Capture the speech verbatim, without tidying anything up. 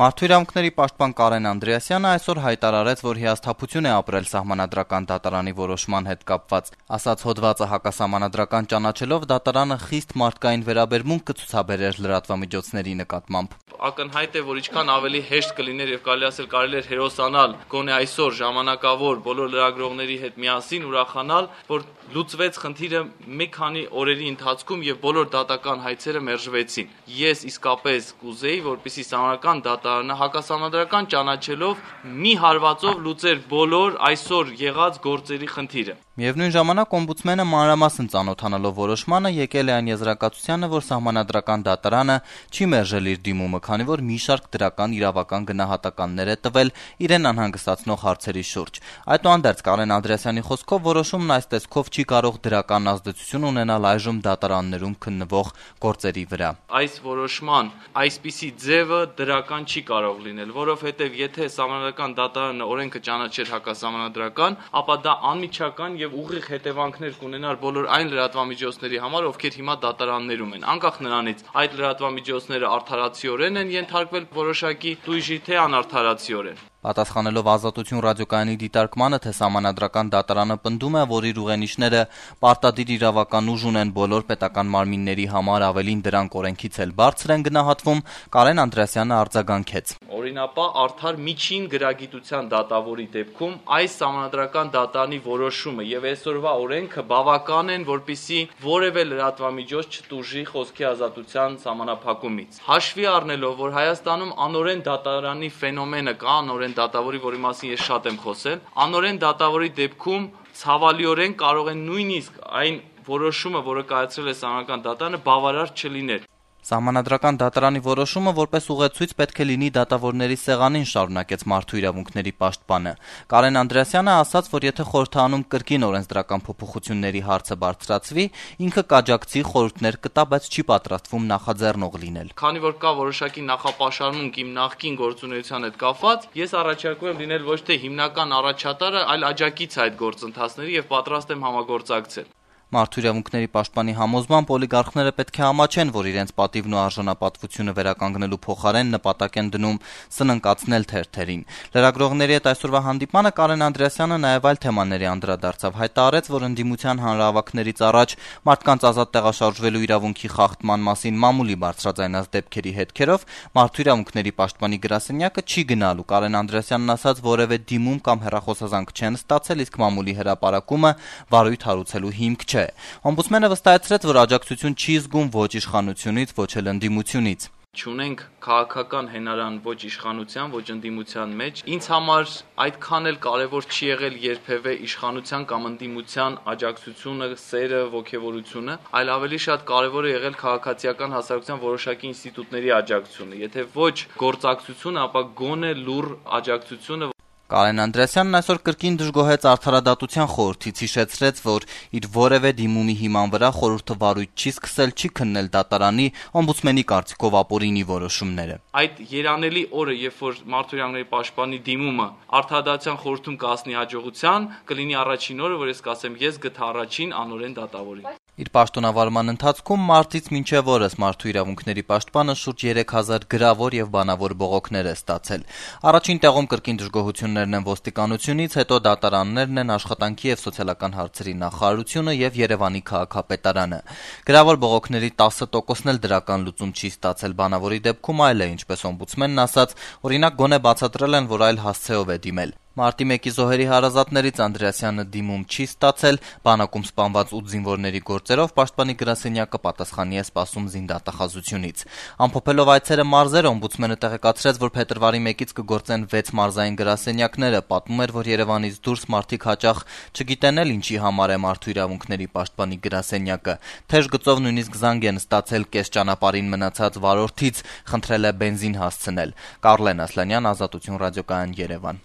Մարդու իրավունքների պաշտպան Կարեն Անդրեասյանը այսօր հայտարարեց, որ հիասթափություն է ապրել Սահմանադրական դատարանի որոշման հետ կապված։ Ասաց հոդվածը հակասահմանադրական ճանաչելով, դատարանը խիստ մարդկային վերաբերմունք կցուցաբերեր լրատվամիջոցների նկատմամբ։ Ակնհայտ է, որ ինչքան ավելի հեշտ կլիներ եւ կարելի ասել կարելի էր հերոսանալ գոնե այսօր ժամանակավոր բոլոր լրագրողների հետ միասին ուրախանալ, որ լուծվեց խնդիրը մի քանի օրերի ընթացքում եւ բոլոր դատական հայցերը մերժվեցին։ Ես իսկապես կուզեի, որպեսզի Սահմանադրական դատարանը հակասահմանադրական ճանաչելով մի հարվածով լուծեր բոլոր այսօր եղած գործերի խնդիրը։ Միևնույն ժամանակ օմբուդսմենը մանրամասն ծանոթանալով որոշմանը եկել է այն եզրակացությանը, որ Սահմանադրական դատարանը չի մերժել իր դիմումը, քանի որ մի շարք դրական իրավական գնահատականներ է տվել իրեն անհանգստացնող հարցերի շուրջ։ Այդուհանդերձ Կարեն Անդրեասյանի խոսքով որոշումն այս տեսքով չի կարող դրական ազդեցություն ունենալ այժմ դատարաններում քննվող գործերի վրա։ Այս որոշման այսպիսի ձևը դրական չի կարող լինել, որովհետև եթե Սահմանադրական դատարանը օրենքը ճանաչեր հակասահմանադրական, ապա դա անմիջական եւ ուղիղ հետևանքներ կունենար բոլոր այն լրատվամիջոցների համար, ովքեր հիմա դատարաններում են, անկախ նրանից այդ լրատվամիջոցները արդարացիորեն են ենթարկվել որոշակի տույժի, թե անարդարացիորեն։ Պատասխանելով Ազատություն ռադիոկայանի դիտարկմանը, թե Սահմանադրական դատարանը պնդում է, որ իր ուղենիշները պարտադիր իրավական ուժ ունեն բոլոր պետական մարմինների համար, ավելին դրանք օրենքից էլ բարձր են գնահատվում, Կարեն Անդրեասյանը արձագանքեց։ Օրինապահ արդար միջին գրագիտության դատավորի դեպքում այս Սահմանադրական դատարանի որոշումը եւ այսօրվա օրենքը բավական են, որպիսի որևէ լրատվամիջոց չտուժի խոսքի ազատության սահմանափակումից։ Հաշվի առնելով, որ Հայաստանում անօրեն դատարանի ֆենոմենը կա, անօրեն դատավորի, որի մասին ես շատ եմ խոսել, անօրեն դատավորի դեպքում ցավալիորեն կարող են նույնիսկ այն որոշումը, որը կայացրել է Սահմանադրական դատարանը, բավարար չլիներ։ Սահմանադրական դատարանի որոշումը որպես ուղեցույց պետք է լինի դատավորների սեղանին, շարունակեց Մարդու իրավունքների պաշտպանը։ Կարեն Անդրեասյանը ասաց, որ եթե խորհրդարանում կրկին օրենսդրական փոփոխությունների հարցը բարձրացվի, ինքը կաջակցի, խորհուրդներ կտա, բայց չի պատրաստվում նախաձեռնող լինել։ Քանի որ կա որոշակի նախապաշարմունք իմ նախկին գործունեության հետ կապված, ես առաջարկում եմ լինել ոչ թե հիմնական առաջատարը, այլ աջակից այդ գործընթացների եւ պատրաստ եմ համագործակցել։ Մարդու իրավունքների պաշտպանի համոզմամբ օլիգարխները պետք է համաչեն, որ իրենց պատիվն ու արժանապատվությունը վերականգնելու փոխարեն նպատակ են դնում սննկացնել թերթերին։ Լրագրողների հետ այսօրվա հանդիպմանը Կարեն Անդրեասյանը նաև այլ թեմաների անդրադարձավ, հայտարարեց, որ ընդդիմության հանրահավաքներից առաջ մարդկանց ազատ տեղաշարժվելու իրավունքի խախտման մասին մամուլի բարձրաձայնած դեպքերի հետքերով Մարդու իրավունքների պաշտպանի գրասենյակը չի գնալու։ Կարեն Անդրեասյանն ասաց, որևէ դիմում կամ հեռախոսազանգ չեն ստացել, իսկ մամուլի հրապարակումը վարույթ հարուցելու հիմք չէ։ Օմբուդսմենը վստահեցրեց, որ աջակցություն չի զգում ոչ իշխանությունից, ոչ էլ ընդդիմությունից։ Չունենք քաղաքական հենարան ոչ իշխանության, ոչ ընդդիմության մեջ։ Ինձ համար այդքան էլ կարևոր չի եղել երբևէ իշխանության կամ ընդդիմության աջակցությունը, սերը, ոգևորությունը, այլ ավելի շատ կարևոր է եղել քաղաքացիական հասարակության որոշակի ինստիտուտների աջակցությունը։ Եթե ոչ գործակցությունը, ապա գոնե լուռ աջակցությունը։ Կարեն Անդրեասյանն այսօր կրկին դժգոհեց Արդարադատության խորհրդից, հիշեցրեց, որ իր որևէ դիմումի հիման վրա խորհուրդը վարույթ չի սկսել, չի քննել դատարանի օմբուդսմենի կարծիքով ապօրինի որոշումները։ Այդ երանելի օրը, երբ որ Մարդու իրավունքների պաշտպանի դիմումը Արդարադատության խորհրդում կհասնի հաջողության, կլինի առաջին օրը, որ ես կասեմ, ես գտա առաջին անօրեն դատավորի։ Իր պաշտոնավարման ընթացքում մարտից մինչև օրս Մարդու իրավունքների պաշտպանը շուրջ երեք հազար գրավոր եւ բանավոր բողոքներ է ստացել։ Առաջին տեղում կրկին դժգոհություններն են ոստիկանությունից, հետո դատարաններն են, աշխատանքի եւ սոցիալական հարցերի նախարարությունը եւ Երևանի քաղաքապետարանը։ Գրավոր բողոքների տասը տոկոսն էլ դրական լուծում չի ստացել, բանավորի դեպքում այլ է, ինչպես օմբուդսմենն ասաց, օրինակ գոնե բացատրել են, որ այլ հասցեով է դիմել։ Մարտի մեկի զոհերի հարազատներից Անդրեասյանը դիմում չի ստացել, բանակում սպանված ութ զինվորների գործերով պաշտպանի գրասենյակը պատասխանի է սպասում զինդատախազությունից։ Ամփոփելով այցերը մարզեր, օմբուդսմենը տեղեկացրեց, որ փետրվարի մեկից կգործեն վեց մարզային գրասենյակները, պատմում էր, որ Երևանից դուրս մարդիկ հաճախ չգիտեն էլ ինչի համար է Մարդու իրավունքների պաշտպանի գրասենյակը։ Թեժ գծով նույնիսկ զանգ են ստացել կես ճանապարհին մնացած վարորդից, խնդրել է բենզին հասցնել։ Կարլեն Ասլանյան, Ազատություն ռադիոկայան, Երևան։